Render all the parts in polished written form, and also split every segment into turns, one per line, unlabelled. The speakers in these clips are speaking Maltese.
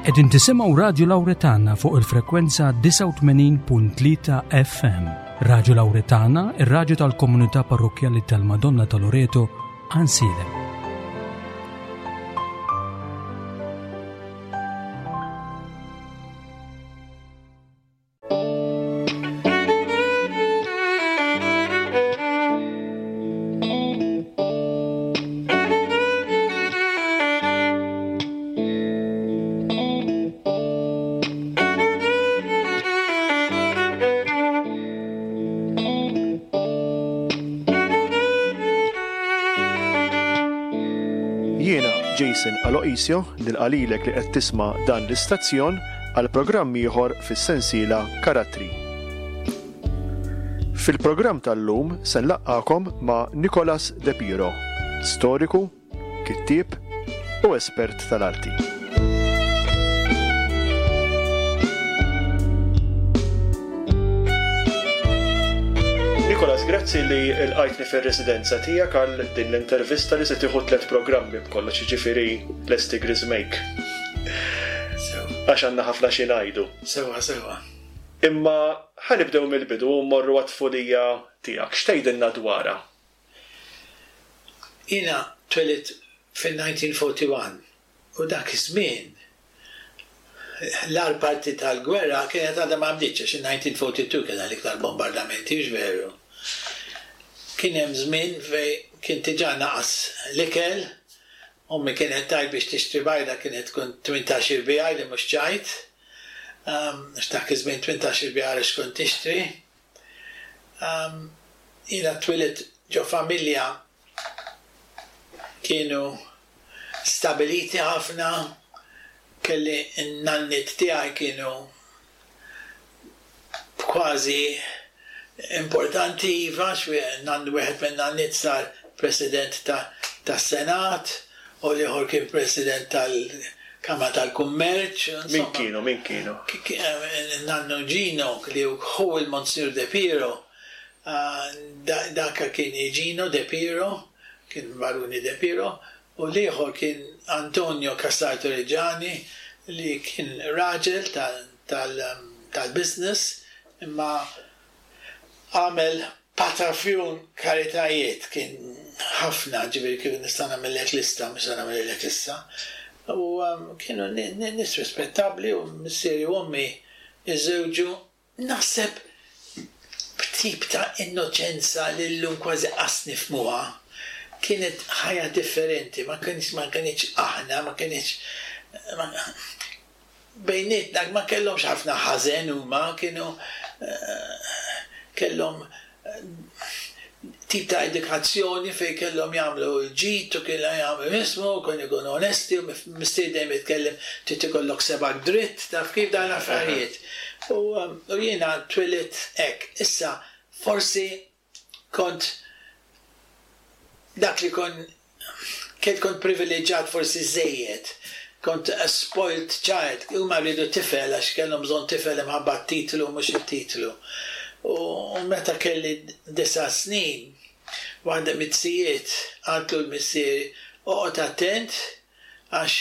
Qegħdin tisimgħu Radju Lawretana fuq il-frekwenza 89.3 FM. Radju Lawretana, ir-radju tal-komunità parrokkjali tal-Madonna ta' Loreto, Ansilem.
Jiena Jason Aloisio nilqa' lilek li qed tisma' dan l-istazzjon għal programm ieħor fis-sensiela Karattri. Fil-programm tal-lum se nlaqqagħkom ma' Nicholas De Piro, storiku, kittieb u espert tal-arti. Nicholas, grazzi li lqajtni fir-residenza tiegħek għal din l-intervista li se tieħu tlett programmi b'kollox, jiġifieri lesti griżmejk. Għax għandna ħafna xi ngħidu.
Sewwa, sewwa.
Imma ħa nibdew mill-bidu u mmorru għat-tfulija tiegħek. X'tgħidilna dwarha?
Jiena twelidt fin-1941 u dak iż-żmien l-agħar parti tal-gwerra kienet għadha ma bdietx għax in-1942 kien l-iktar bombardamenti, hux veru? Kien hemm żmien fejn kien diġà naqas l-ikel, ommi kienet tgħid biex tixtri bajda kienet tkun 18 il-biegħi li mhux ċajt, għax dak iż-żmien 18 il-biegħi għaliex kont tixtri. Jiena twilidt ġo familja kienu stabiliti ħafna, kelli n-nanniet tiegħi kienu kważi importanti iva, għax nannu wieħed min-nanniet sar President tas-Senat u l-ieħor kien President tal-Kamra tal-Kummerċ.
Min kienu, min kienu?
Nannu Gino li hu il-Monsignor De Piro, dak kien Gino De Piro, kien Baruni De Piro, u l-ieħor kien Antonio Cassar Torrigiani li kien raġel tal-business imma għamel patafjun karitajiet, kien ħafna, ġifieri kieku nista' nagħmillek lista, mhux se nagħmilhielek issa. U kienu nies rispettabbli u missieri u ommi żżewġu Naħseb b'tip ta' innoċenza li llum kważi qas nifhmuha. Kienet ħajja differenti, ma kienx ma kinitx aħna, ma kinitx bejnietna ma kellhomx ħafna ħażen huma, kienu kellhom tip ta' edukazzjoni fejn kellhom jagħmlu l-ġid u kienu jagħmlu jismu u kienu jkunu onesti u missieri dejjem jitkellem trid ikollok sebgħek dritt taf kif dawn l-affarijiet. U jiena twilidt hekk. Issa forsi kont dak li kon Kien kont privileġġat forsi żżejjed. Kont a spoilt child. Huma riedu tifel għax kellhom bżonn tifel imħabba t-titlu u mhux it-titlu. U meta kelli disa' snin, waħda mit-zijiet qaltlu l-missieri, oqgħod attent għax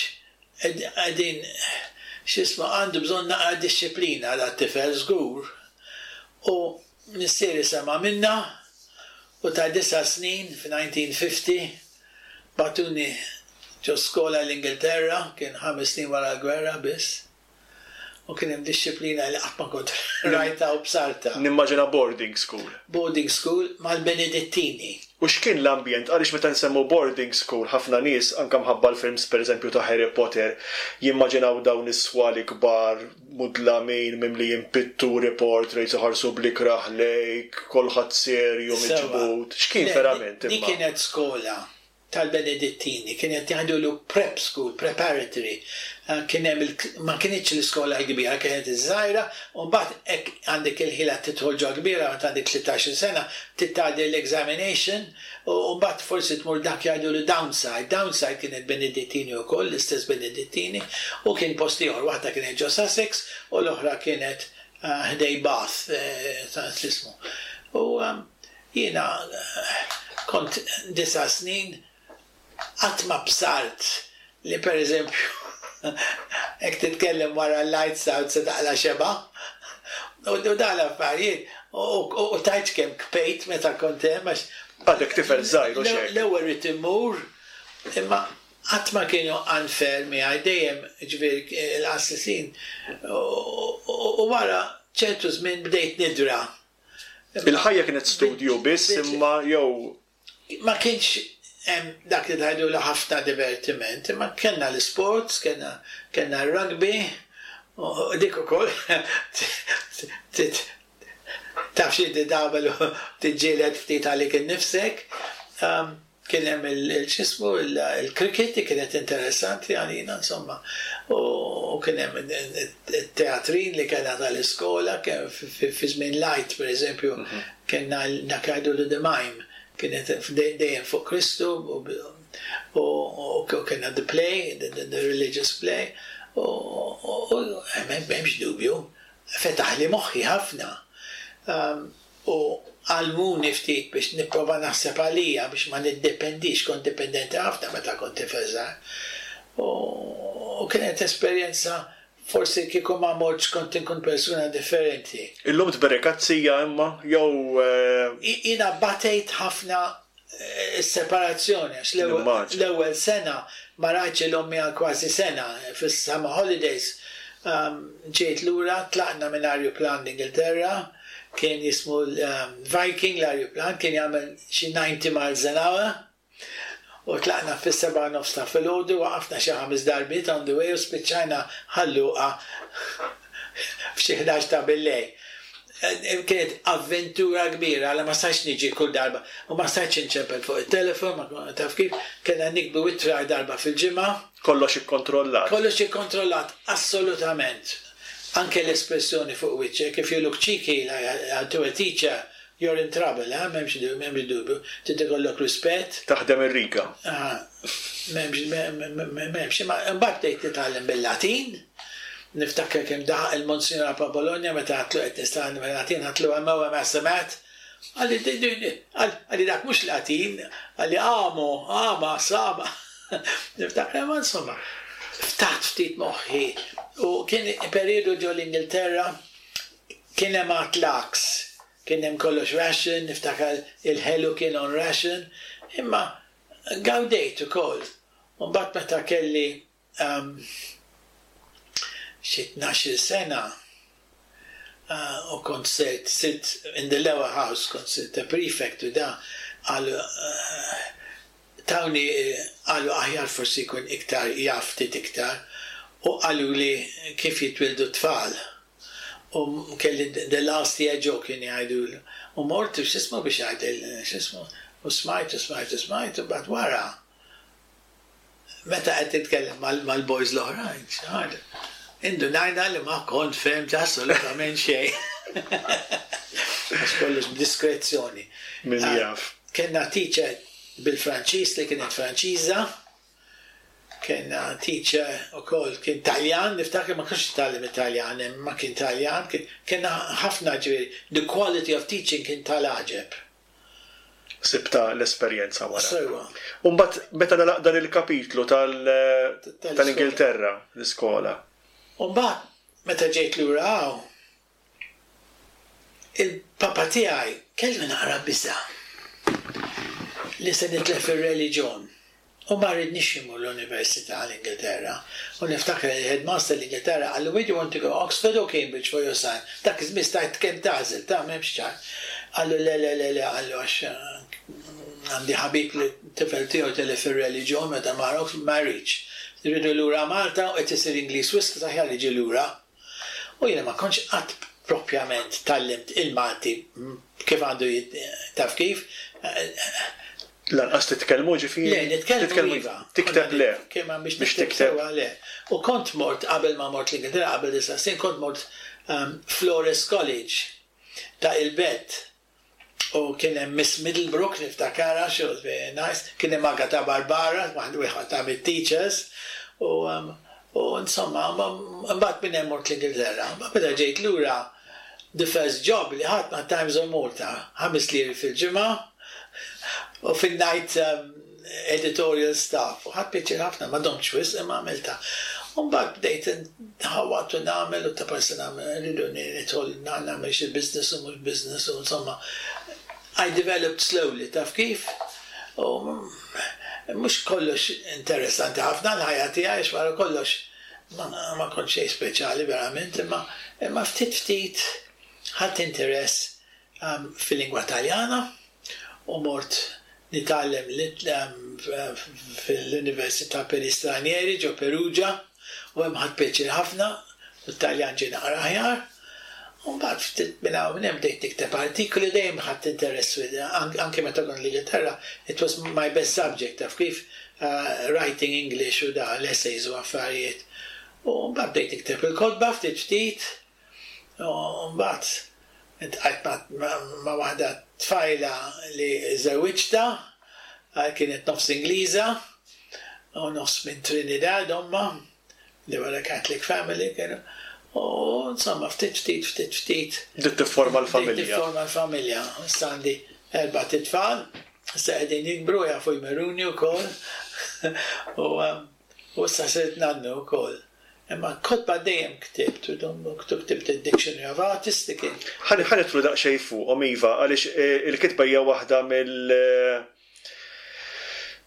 qegħdin x'ismu għandu bżonn naqra dixxiplina dat-tifel żgur. U Missieri sema' minnha u ta' disa' snin, f'1950, bagħtuni ġo skola l-Ingilterra, kien ħames snin wara l-gwerra biss, u kien hemm dixxiplina li qatt ma kont rajtha u bsartha.
Nimmaġina boarding school.
Boarding school mal-Benedittini.
U x'kien l-ambjent? Għaliex meta nsemmu boarding school ħafna nies, anke mħabba l-films pereżempju ta' Harry Potter, jimmaġinaw dawn is-swali kbar, mudlamin, mimlijin pitturi, portraits, iħarsu bl-ikrah lejk, kulħadd serju, miġbud. X'kien verament
imma? Dik kienet skola tal-Benedittini, kienet jgħidulu prep school, preparatory. Kien hemm il, ma kinitx l-iskola l-kbira, kienet iż-żgħira, u mbagħad hekk għandek il-ħila tidħol ġo kbira meta għandek tlittax-il sena, trid tgħaddi l-examination, U mbagħad forsi tmur dak jgħidulu Downside. Downside kienet Benedittini wkoll, l-istess Benedittini, u kien post ieħor, waħda kienet ġo Sussex u l-oħra kienet ħdej Bath, x'ismu. U jiena kont disa' snin qatt ma bsart li pereżempju. Jekk titkellem wara l-lights out se taqla' xebgħa. U dawn l-affarijiet. U tgħidx kemm kpejt meta kont hemm għax.
Għadek tifel żgħir u x'hekk.
L-ewwel ridt immur imma qatt ma kienu unfair miegħi dejjem ġifieri l-qassisin u wara ċertu żmien bdejt nidra.
Il-ħajja kienet studju biss imma jew
Ma kienx hemm dak li tgħidulu ħafna divertiment, imma kellna l-isports, kellna kellna r-rugby, u dik ukoll taf x'inti tagħmel u tiġġieled ftit għalik innifsek. Kien hemm il-x'ismu il-cricket li kienet interessanti għalina insomma. U kien hemm it-teatrin li kellna tal-iskola fi żmien l-Għid pereżempju Kellna dak li jgħidulu the mime, kienet dejjem fuq Kristu u kellna the play, the religious play u m'hemmx dubju, fetaħli moħħi ħafna u għallmuni ftit biex nipprova naħseb għalija biex ma niddependix, kont dipendenti ħafna meta kont tifel żgħar. U kienet esperjenza Forsi kieku ma mortx kont inkun persuna differenti.
Illum tberek għat-tija imma jew.
Jiena batejt ħafna s-separazzjoni għax l-ewwel sena ma rajtx 'il ommi għal kważi sena fis-summer holidays ġejt lura tlaqna minn arjuplan l-Ingilterra kien jismu Viking l-arjuplan kien jagħmel xi 90 miles an hour. U tlaqna fis-sebgħa u nofs ta' filgħodu, waqafna xi ħames darbiet on the way u spiċċajna Ħal Luqa f'xi 11 ta' billejl. Kienet avventura kbira, alla ma stajtx niġi kull darba u ma stajtx inċempel fuq it-telefon, ma taf kif, kellna niktbu ittra darba fil-ġimgħa.
Kollox ikkontrollat.
Kollox ikkontrollat, assolutament. Anke l-espressjoni fuq wiċċek, if you look cheeky like to a teacher, You're in trouble, eh, m'hemmx m'hemmx dubju. Trid ikollok rispett.
Taħdem ir-riga.
Ah, m'hemmx m'hemmx. Imma imbagħad bdejt nitgħallem bil-Latin. Niftakar kemm daħaq il-Monsignor Apa Bologna meta għedtlu qed nistgħallem bil-Latin, għedtlu hemm hemm SMAT. Qalli qalli dak mhux Latin, qalli amo, ama, sama. Niftakar imma insomma, ftaħt ftit moħħi u kien perjodu ġo l-Ingilterra Kien hemm għadd laks, kien hemm kollox ration, niftakar il-ħelu kien on ration, imma gawdejt ukoll. U mbagħad meta kelli xi tnax-il sena u kont sirt sirt in the lower house, kont sirt a prefect u da, qalu tawni qalu aħjar forsi jkun iktar jaf ftit iktar u qaluli kif jitwieldu t-tfal. U kelli the last year joke kien jgħidulu. U mort x'ismu biex ngħid x'ismu u smajt u smajt u smajt u mbagħad wara meta qed titkellem mal-boys l-oħrajn xi ħaġa indunajna li ma kont fehmt assolutament xejn. Għax kollox b'diskrezzjoni.
Min jaf.
Kellna teacher bil-Franċiż li kienet Franċiża. Kellna teacher ukoll kien Taljan, niftakar ma kontx nitgħallem it-Taljan hemm imma kien Taljan, kellna ħafna ġifieri the quality of teaching kien tal-għaġeb.
Sibtha l-esperjenza wara.
Sewwa.
U mbagħad meta nagħlaq dan il-kapitlu tal-Ingilterra, l-iskola.
U mbagħad meta ġejt lura hawn, Il-papa tiegħi kellu naqra biża' li se nitlef ir-reliġjon u ma ridnix immur l-università l-Ingilterra. U niftakar li l-headmaster l-Ingilterra qallu where do you want to go, Oxford or Cambridge for your son? Dak iż-żmien stajt kemm tagħżel, ta' m'hemmx ċar. Qallu le le le le qallu għax għandi ħabib li t-tifel tiegħu tilef ir-reliġjon meta mar Oxford ma jridx. Rridu lura Malta u qed isir Ingliż wisq aħjar jiġi lura. U jiena ma kontx qatt propjament tgħallimt il-Malti kif għandu taf kif.
Lanqas titkellmu ġifieri?
Le, nitkellmu iva.
Tikteb le.
Biex tikteb sewwa le. U kont mort qabel ma mort l-Ingilterra qabel disa' snin kont mort Flores College ta' il-Belt U kien hemm Miss Middlebrook niftakarha, she was very nice, kien hemm Agata Barbara, waħda mit-teachers, u u insomma, imbagħad minn hemm mort l-Ingilterra. Imbagħad meta ġejt lura, the first job li ħadt ma' Times of Malta, ħames liri fil-ġimgħa u fin-night editorial staff. U ħadt pjaċir ħafna, ma domtx wisq imma għamiltha. U mbagħad bdejt nħawwad u nagħmel u ta' parsi nagħmel rridu nidħol nagħmel xi business u mhux business u insomma I developed slowly, taf kif? U mhux kollox interessanti ħafna l-ħajja tiegħi għax wara kollox ma kont xejn speċjali verament, imma imma ftit ftit ħadt interess fil-lingwa Taljana u mort nitgħallem fil-Università per gli Stranieri ġo Perugia u hemm ħadt pjaċir ħafna u t-Taljan ġie naqra aħjar. U mbagħad ftit minn hawn minn hemm bdejt nikteb artikoli dejjem ħadt interess anke meta kont l-Ingilterra it was my best subject taf kif writing English u da l-essays u affarijiet. U mbagħad bdejt nikteb il-kotba ftit ftit U mbagħad iltqajt ma' waħda tfajla li żewwiġtha, kienet nofs Ingliża u nofs minn Trinidad ommha, they were a Catholic family kienu, u insomma ftit ftit ftit ftit.
Bdiet tifforma l-familja.
Bdiet tifforma l-familja. Issa għandi erbat itfal, issa qegħdin jikbru jafu jmeruni wkoll u issa sirt nannu wkoll. Imma kotba dejjem ktibt, u ktibt id-Dictionary of Artists li kien.
Ħa nidħlu daqsxejn fuqhom, iva, għaliex il-kitba hija waħda mill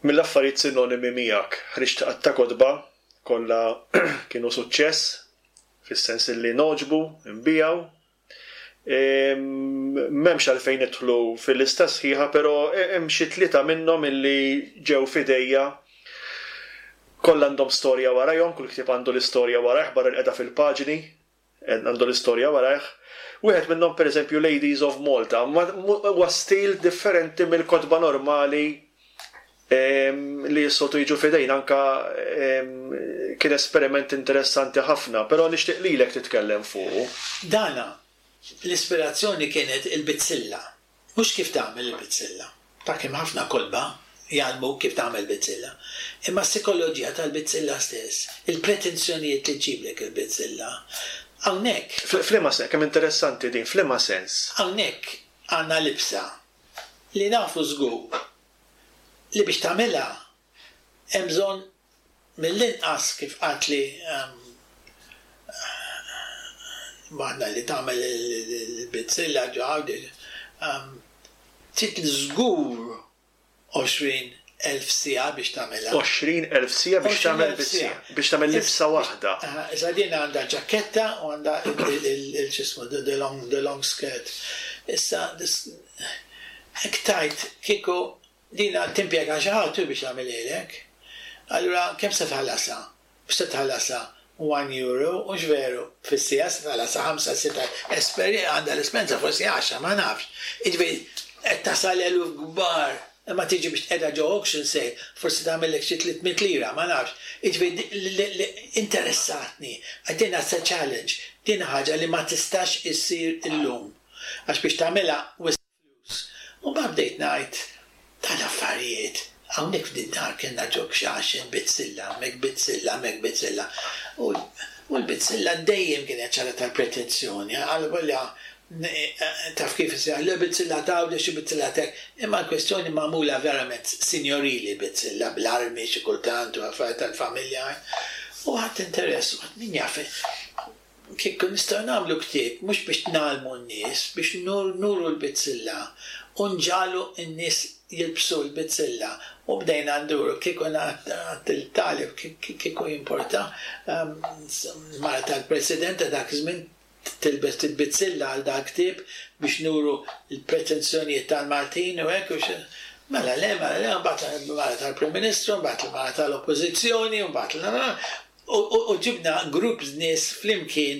mill-affarijiet sinonimi miegħek. Ħriġt għadd ta' kotba, kollha kienu suċċess, fis-sens li ngħoġbu, inbiegħu. M'hemmx għalfejn nidħlu fil-lista sħiħa, però hemm xi tlieta minnhom illi ġew f'idejja. Kollha għandhom storja warajhom, kull ktieb għandu l-istorja warajh barra li qiegħda fil-paġni, għandu l-istorja warajh. Wieħed minnhom pereżempju Ladies of Malta, huwa stil differenti mill-kotba normali li s-soltu jiġu f'idejna anka kien esperiment interessanti ħafna, però nixtieq lilek titkellem fuqu.
Dana, l-ispirazzjoni kienet il-bizzilla. Mhux kif tagħmel il-bizzilla. Ta' kemm ħafna kotba jgħallmuk kif tagħmel bizzilla. Imma s-sikoloġija tal-bizzilla stess, il-pretensjonijiet li ġġiblek il-bizzilla. Hawnhekk.
F'liema sens, kemm interessanti din, f'liema sens?
Hawnhekk għandna libsa li nafu żgur li biex tagħmilha hemm bżonn mill-inqas kif qaltli waħda li tagħmel il-bizzilla ġo Għawdex, trid żgur 20,000 siegħa biex tagħmilha.
20,000 siegħa biex tagħmel bizzilla, biex tagħmel libsa waħda.
Issa din għandha ġaketta u għandha il-x'ismu the long the long skirt. Issa Hekk tgħid kieku dina timpjega xi ħadd hu biex jagħmilhielek. Allura kemm se tħallasha? Mhux se tħallasha one euro, hux veru, fis-siegħa se tħallasha ħamsa, sitta, esperi għandha l-esperjenza forsi għaxra, ma nafx. Jiġifieri qed tasal eluf kbar imma tiġi biex tqiegħdha ġo auction sale forsi tagħmillek xi 300 lira, ma nafx. Jiġifieri interessatni, din it's a challenge, din ħaġa li ma tistax issir illum. Għax biex tagħmilha wisq flus. U mbagħad bdejt ngħid tal-affarijiet. Hawnhekk f'din dar kellna ġo kxaxen bizzilla, hemmhekk bizzilla, hemmhekk bizzilla. U l-bizzilla dejjem kienet xi ħaġa tal-pretenzjoni. Għal taf kif isejjaħ, le bizzilla t'Għawdex u bizzilla t'hekk. Imma l-kwestjoni magħmula verament sinjorili bizzilla bl-armi xi kultant u affarijiet tal-familja. U ħadt interess u għedt min jaf Kieku nistgħu nagħmlu ktieb mhux biex ngħallmu n-nies, biex nuru l-bizzilla u nġagħlu n-nies jilbsu l-bizzilla u bdejna nduru. Kieku ngħad il-talib kieku jimporta mara tal-President ta' dak iż-żmien tilbes il-bizzilla għal dal-ktieb biex nuru l-pretensjonijiet tal-Maltin u hekk u Mela le, mela le, mbagħad il-mara tal-Prim Ministru, mbagħad il-mara tal-Oppożizzjoni, mbagħad U ġibna grupp nies flimkien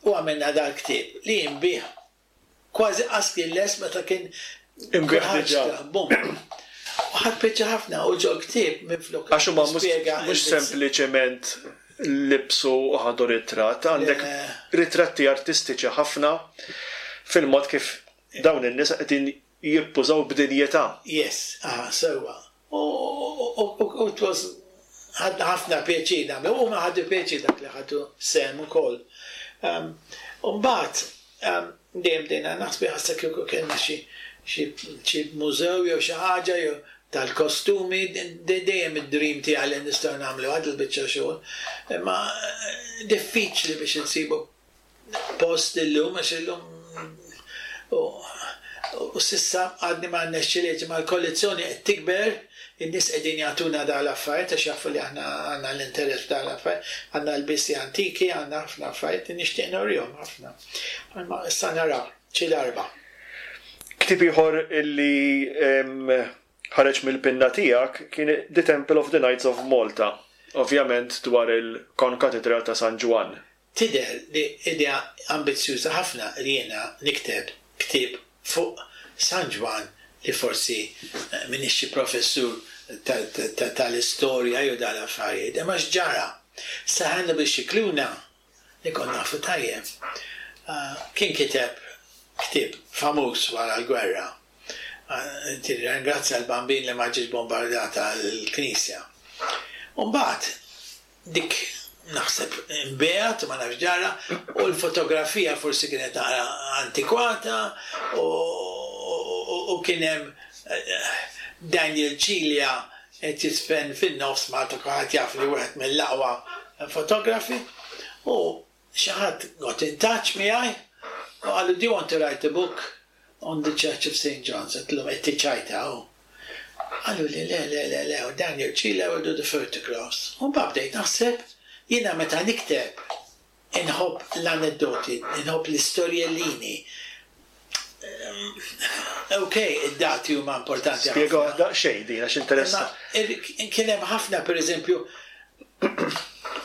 u għamilna dal-ktieb li inbiegħ kważi qas kien lest meta kien
Inbiegħ diġà.
Bum. U ħadt pjaċir ħafna u ġol-ktieb minflok
Għax huma mhux sempliċement libsu u ħadu ritratt, għandek ritratti artistiċi ħafna fil-mod kif dawn in-nies qegħdin jippużaw b'dinjità.
Yes, aha, sewwa. U it was ħadna ħafna pjaċir nagħmlu, u huma ħadu pjaċir dak li ħadu sehem ukoll. U mbagħad dejjem bdejna naħsbu ħassa kieku kellna xi xi mużew jew xi ħaġa jew. tal-kostumi, dejjem id-dream tiegħi li nistgħu nagħmlu għad il-biċċa xogħol. Imma diffiċli biex insibu post illum għax illum u s'issa għadni ma rnexxilix imma l-kollezzjoni qed tikber, in-nies qegħdin jagħtuna dawn l-affarijiet għax jafu li aħna għandna l-interess f'dawn l-affarijiet, għandna lbiesi antiki, għandna ħafna affarijiet li nixtieq nurihom ħafna. Imma issa naraw xi darba.
Ktieb ieħor illi ħareġ mill-pinna tiegħek kien The Temple of the Knights of Malta, ovvjament dwar il-Konkatedral ta' San Ġwann.
Tidher li idea ambizzjuża ħafna li jiena nikteb ktieb fuq San Ġwann li forsi m'iniex xi professur tal-istorja jew dal-affarijiet, imma x'ġara? Sir Hannibal Scicluna, li kont nafu tajjeb, kien kiteb ktieb famuż wara l-gwerra. Tirringrazzja l-Bambin li ma ġietx bombardata l-knisja. U mbagħad Dik naħseb inbiegħet, ma nafx ġara, u l-fotografija forsi kienet naqra antikwata u kien hemm Daniel Cilia qed jiżfen fin-nofs Malta kulħadd jaf li wieħed mill-aqwa fotografi u xi ħadd got in touch miegħi u qallu do you want to write a book on the Church of Saint John's? Għedtilhom qed tiċċajta hu. Qaluli le, le, le, le, u Daniel Cilia will do the photographs. U mbagħad bdejt naħseb, jiena meta nikteb inħobb l-aneddoti, inħobb l-istorjellini. Ok, id-dati huma importanti ħafna.
Spjegaha daqsxejn din għax interessanti.
Imma kien hemm ħafna, pereżempju,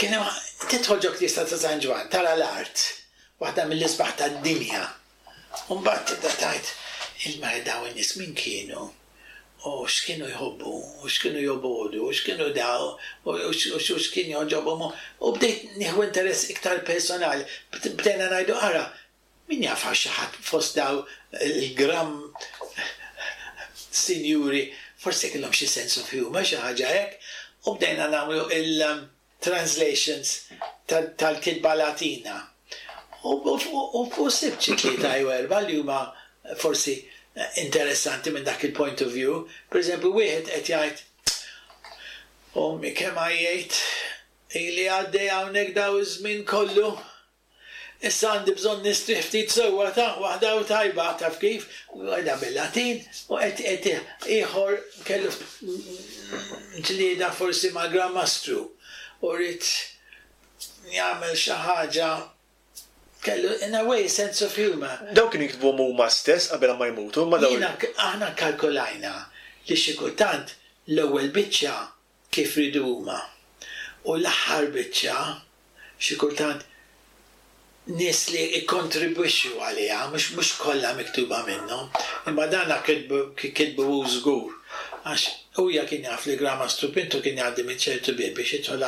kien hemm tidħol ġo knisja ta' San Ġwann, tara l-art, waħda mill-isbaħ tad-dinja. U mbagħad tibda tgħid, il-mara dawn in-nies min kienu? U x'kienu jħobbu? U x'kienu jobogħdu? U x'kienu daw? U x'kien jogħġobhom? U bdejt nieħu interess iktar personali. Bdejna ngħidu ara, min jaf hawn xi ħadd fost daw il-gram sinjuri forsi kellhom xi sense of humour, xi ħaġa hekk. U bdejna nagħmlu il- translations tal-kitba Latina. U sibt xi tlieta jew erbgħa li huma forsi interessanti minn dak il-point of view. Per eżempju, wieħed qed jgħid, Ommi kemm għajjejt, ili għaddej hawnhekk daw iż-żmien kollu. Issa għandi bżonn nistrieħ ftit sewwa ta' waħda u tajba, taf kif? Għidha bil-Latin u qed qed ieħor kellu ġlieda forsi mal-Gran Mastru u ried jagħmel xi ħaġa kellu in a way sense of humour.
Dawn kienu jiktbuhom huma stess qabel ma jmutu, imma dawn.
Jiena aħna kkalkulajna li xi kultant l-ewwel biċċa kif riedu huma. U l-aħħar biċċa, xi kultant nies li ikkontribwixxu għaliha, mhux mhux kollha miktuba minnhom, imma dana kitbu kitbu hu żgur, għax huja kien jaf li Gran Mastru Pinto kien jgħaddi minn ċertu bieb biex jidħol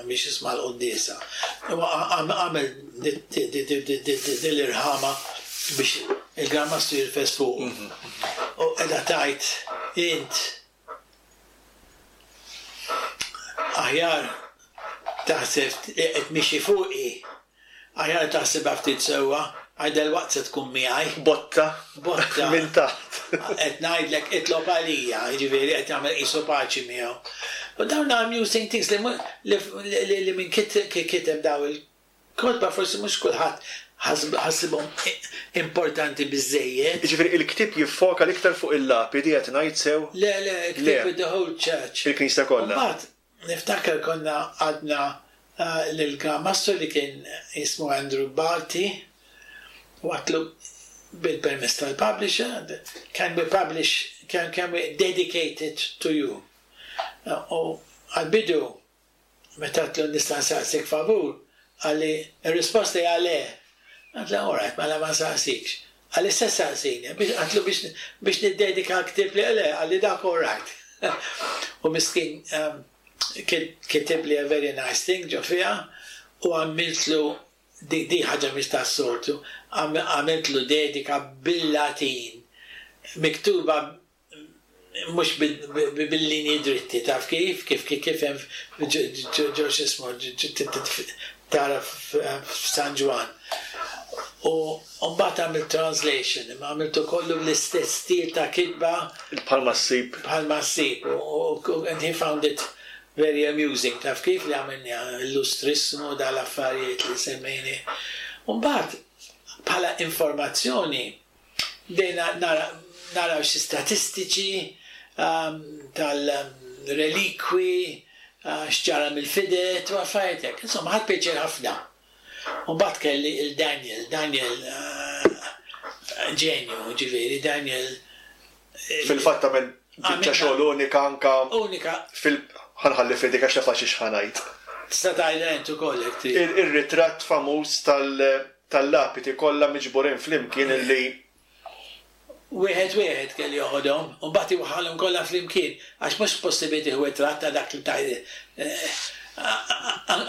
biex jisma' l-quddiesa. U għamel din l-irħama biex il-Gran Mastru jirfes fuqu. U qiegħda tgħid int Aħjar taħseb li qed mixi fuqi. Aħjar taħsibha ftit sewwa, għax dalwaqt se tkun miegħi.
Botta.
Botta.
Minn taħt.
Qed ngħidlek itlob għalija, jiġifieri qed jagħmel qisu paċi miegħu. U dawn amusing things li li min kiteb daw il Kotba forsi mhux kulħadd ħasibhom importanti biżżejjed.
Jiġifieri il-ktieb jiffoka l-iktar fuq il-lapidi qed ngħid sew?
Le, le, il-ktieb the whole church.
Il-knisja kollha.
U mbagħad niftakar konna għadna lill-Gran Mastru li kien jismu Andrew Barty u għadtlu bil-permess tal-publisher, can we publish, can, can we dedicate it to you? U għall-bidu Meta għedtlu nista' nsaqsik favur, qalli, ir-risposta hija le. Għedtlu all right, mela ma nsaqsikx. Qalli se ssaqsini? Għedtlu biex biex niddedika l-ktieb li le, qalli dak all right. U miskin kitibli a very nice thing ġo fiha u għamiltlu di di ħaġa mhix tas-soltu, għamiltlu dedika bil-Latin miktuba mhux bil-linji dritti, taf kif, kif kif hemm ġo x'ismu tara f'San Ġwann. U mbagħad għamilt translation, imma għamiltu kollu bl-istess stil ta' kitba.
Bħalma ssib.
Bħalma ssib. U and he found it very amusing, taf kif li għamilni illustrismu dal-affarijiet li semmejni. U mbagħad bħala informazzjoni bdejna naraw xi statistiċi tal-relikwi, x'ġara mill-fidet u affarijiet hekk. Insomma, ħadt pjaċir ħafna. U mbagħad kelli il-Daniel, Daniel ġenju, ġifieri Daniel.
Fil-fatt għamel biċċa xogħol unika anka.
Unika.
Fil ħa nħalli f'idejk għax naf għal xiex ħa ngħid.
Tista' tgħidha int ukoll jekk trid.
Ir-ritratt famuż tal-lapiti kollha miġburin flimkien illi
Wieħed wieħed kellu joħodhom u mbagħad iwaħħalhom kollha flimkien għax mhux possibbli tieħu ritratt ta' dak li tgħid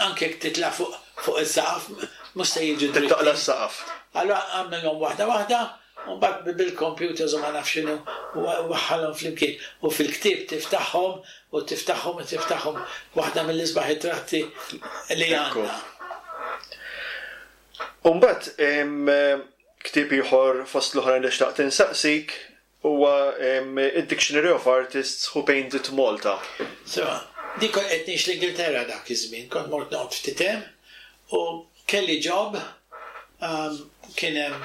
anke jekk titla' fuq fuq is-saqaf mhux se jiġu dritti.
Taqla' s-saqaf.
Allura għamilhom waħda waħda u mbagħad bil-computers u ma nafx x'inhu waħħalhom flimkien u fil-ktieb tiftaħhom u tiftaħhom u tiftaħhom waħda mill-isbaħ ritratti li għandna.
U mbagħad ktieb ieħor fost l-oħrajn li xtaqt insaqsik huwa id-Dictionary of Artists Who Painted Malta.
Sewa, dik kont qed ngħix l-Ingilterra dak iż-żmien, kont mort noqgħod ftit hemm u kelli job kien hemm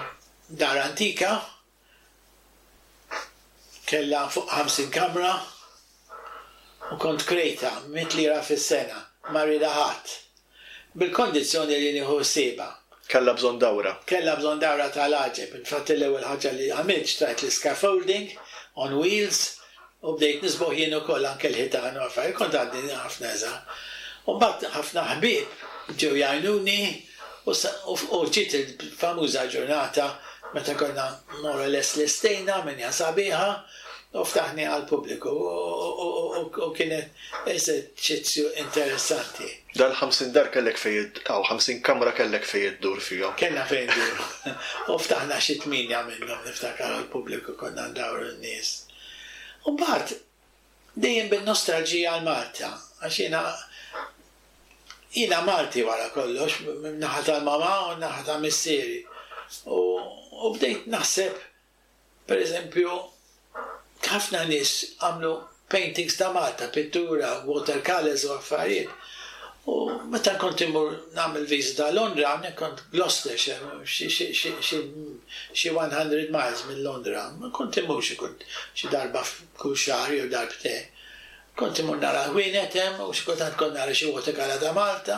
dar antika kellha fuq 50 kamra u kont krejtha mitt lira fis-sena, ma riedha ħadd. Bil-kondizzjoni li nieħu ħsiebha.
Kellha bżonn dawra.
Kellha bżonn dawra tal-għaġeb. Infatti l-ewwel ħaġa li għamilt xtrajt l-iscaffolding on wheels u bdejt nisboħ jien ukoll anke l-ħitan u affarijiet. Kont għadni ħafna iżgħar. U mbagħad ħafna ħbieb ġew jgħinuni u ġiet il-famuża ġurnata meta konna more or less lestejna, għamilniha sabiħa u ftaħniha għall-pubbliku u kienet eżerċizzju interessanti.
Dal-50 dar kellek fejn, aw 50 kamra kellek fejn iddur fihom.
Kellna fejn induru. U ftaħna xi tmienja minnhom niftakar għall-pubbliku konna ndawru n-nies. U mbagħad dejjem bin-nostalġija għal Malta, għax jiena jiena Malti wara kollox, min-naħa tal-mamà u n-naħa ta' missieri. U bdejt naħseb, per eżempju, ħafna nies għamlu paintings ta' Malta, pittura, watercolours u affarijiet. U meta kont immur nagħmel viżita Londra, hawnhekk kont Gloucestershire, xi 100 miles minn Londra, kont immur xi kont xi darba kull xahar jew darbtejn. Kont immur nara l-ħwienet hemm u xi kultant kont nara xi watercolour ta' Malta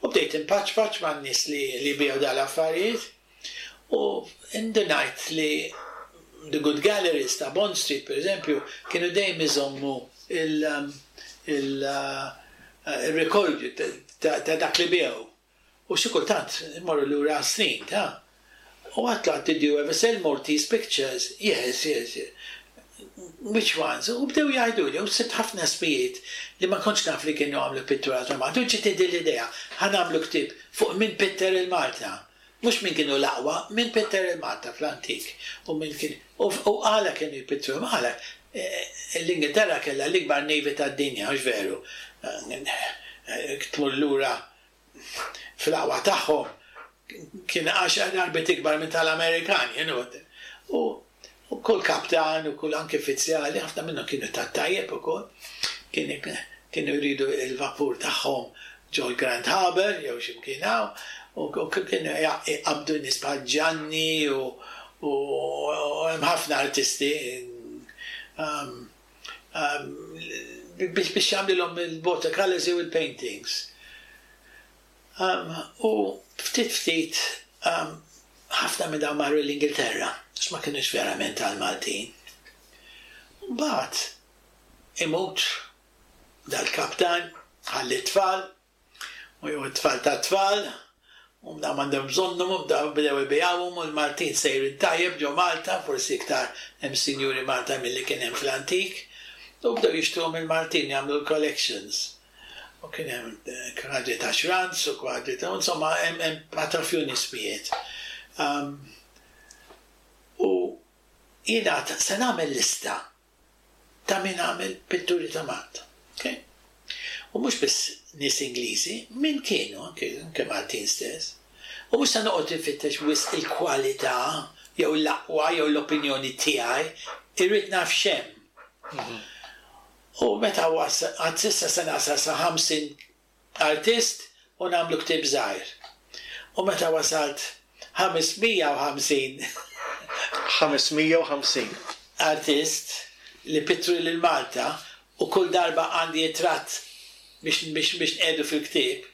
u bdejt inpaċpaċ man-nies li jbigħu dawn l-affarijiet. U indunajt li the good galleries ta' Bond Street, per eżempju, kienu dejjem iżommu il-rekordju ta' dak li biegħu. U xi kultant imorru lura snin ta' U għedtlu, did you ever sell Maltese pictures? Yes. Which ones? U bdew jgħidu li, u sibt ħafna ismijiet li ma kontx naf li kienu għamlu pittura ta' Malta. U ġiet din l-idea, ħa nagħmlu ktieb fuq min pitter il-Malta. Mhux min kienu l-aqwa, min pitter il-Malta fl-antik. U min kien, u għala kienu jpittru, għala. L-Ingilterra kellha l-ikbar navy tad-dinja, mhux veru. Tmur lura fl-aqwa tagħhom kien 10 darbiet ikbar minn tal-Amerikani, you know. U kull kaptan u kull anke uffiċjali, ħafna minnhom kienu tat-tajjeb ukoll, kienu jridu il-vapur tagħhom ġol Grand Harbour jew xi mkien hawn, u kienu jqabdu nies bħal Gianni u hemm ħafna artisti biex jagħmlilhom il-watercolors jew il-paintings. U ftit ftit ħafna minn dawn marru l-Ingilterra, għax ma kinux verament għal-Maltin. Mbagħad imut dal-kaptan, ħalli t-tfal, u jew it-tfal ta' tfal, u dawn m'għandhom bżonnhom, u dawn bdew ibigħuhom u l-Maltin sejrin tajjeb ġo Malta, forsi iktar hemm sinjuri Malta milli kien hemm fl-antik, u bdew jixtruhom il-Maltin jagħmlu l-collections. U kien hemm kwadri ta' Schranz u kwadri ta' insomma hemm patrafjun ismijiet. U jiena se nagħmel lista ta' min għamel pitturi ta' Malta. Okay? U mhux biss nies Ingliżi, min kienu, anke Maltin stess. U mhux se noqgħod infittex wisq il-kwalità jew l-aqwa jew l-opinjoni tiegħi, irrid naf x'hemm. U meta wasal, għad s'issa se nasal sa 50 artist u nagħmlu ktieb żgħir. U meta wasalt 550.
550.
Artist li pittru lil Malta u kull darba għandi ritratt biex biex biex nqiegħdu fil-ktieb,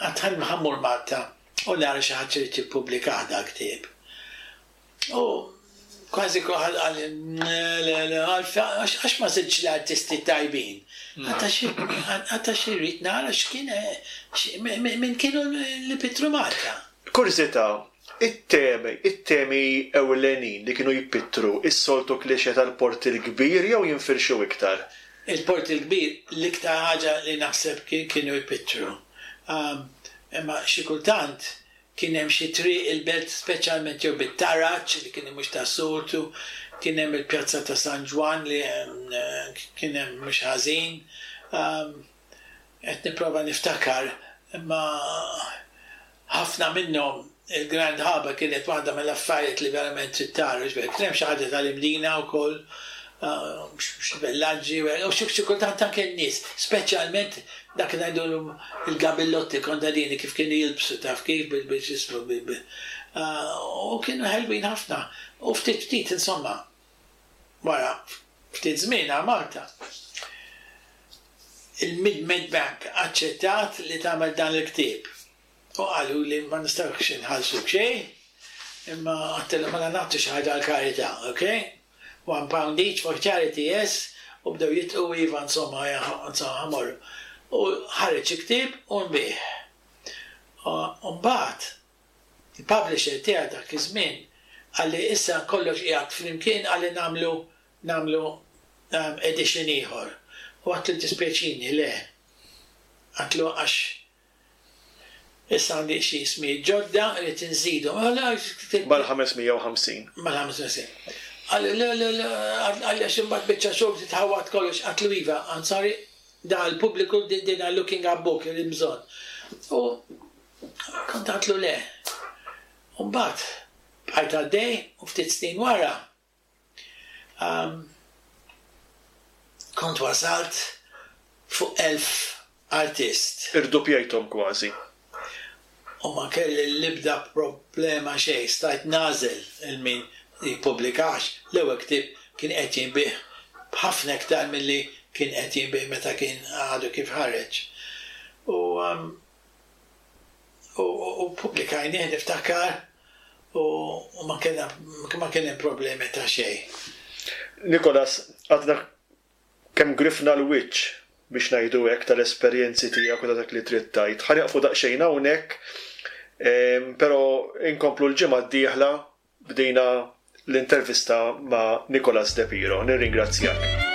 għad ħa mmur Malta u nara xi ħadd irid jippubblikah dal-ktieb. U kważi kulħadd qal le le għax ma żidtx l-artisti tajbin. Għax irrid nara x'kien min kienu li pittru Malta.
Kurżità, it-temi, it-temi ewlenin li kienu jpittru, is-soltu cliché tal-Port il-Kbir jew jinfirxu iktar?
Il-Port il-Kbir l-iktar ħaġa li naħseb kienu jpittru. Imma xi kultant Kien hemm xi triq il-Belt speċjalment jew bit-taraġ li kien mhux tas-soltu, kien hemm il-Pjazza ta' San Ġwann li kien hemm mhux ħażin. Qed nipprova niftakar imma ħafna minnhom il-Grand Harbour kienet waħda mill-affarijiet li verament trid tara, kien hemm xi ħaġa tal-Imdina wkoll, xi villaġġi u xi kultant anke n-nies, speċjalment dak li ngħidulhom il-gabillotti kontadini kif kienu jilbsu taf kif bil-x'ismu u kienu ħelwin ħafna u ftit ftit insomma wara ftit żmien għal Malta il-Mid-Med Bank aċċettat li tagħmel dan il-ktieb. U qaluli ma nistgħux inħallsuk xejn, imma għedtilhom mela nagħtu xi ħaġa għall-karità, ok? One pound each for charity, yes, u bdew jidħqu iva insomma insomma ħa mmorru. U ħareġ il-ktieb u nbiegħ. U mbagħad il-publisher tiegħi dak iż-żmien qalli issa kollox qiegħed flimkien qalli nagħmlu nagħmlu edition ieħor. U għedtlu jiddispjaċini le. Għedtlu għax Issa għandi xi ismijiet ġodda, irrid inżidhom.
Mal-550.
Mal-550. Qalli, le, le, le, qalli għax imbagħad biċċa xogħol titħawwad kollox. Għedtlu iva, I'm sorry, da l-pubbliku din looking up book li bżonn. U kont għedtlu le. U mbagħad bqajt għaddej u ftit snin wara Kont wasalt fuq 1000 artist.
Irduppjajthom kważi.
U ma kelli l-ebda problema xejn, stajt nagħżel il min jippubblikax. L-ewwel ktieb kien qed jinbiegħ b'ħafna iktar milli kien qed jinbiegħ meta kien għadu kif ħareġ. U u ppubblikajnih niftakar u ma kellna ma kien hemm problemi ta' xejn.
Nicholas, għadna kemm grifna l-wiċċ biex ngħidu hekk tal-esperjenzi tiegħek u ta' dak li trid tgħid. Ħa nieqfu daqsxejn hawnhekk, però inkomplu l-ġimgħa d-dieħla bdejna l-intervista ma' Nicholas De Piro. Nirringrazzjak.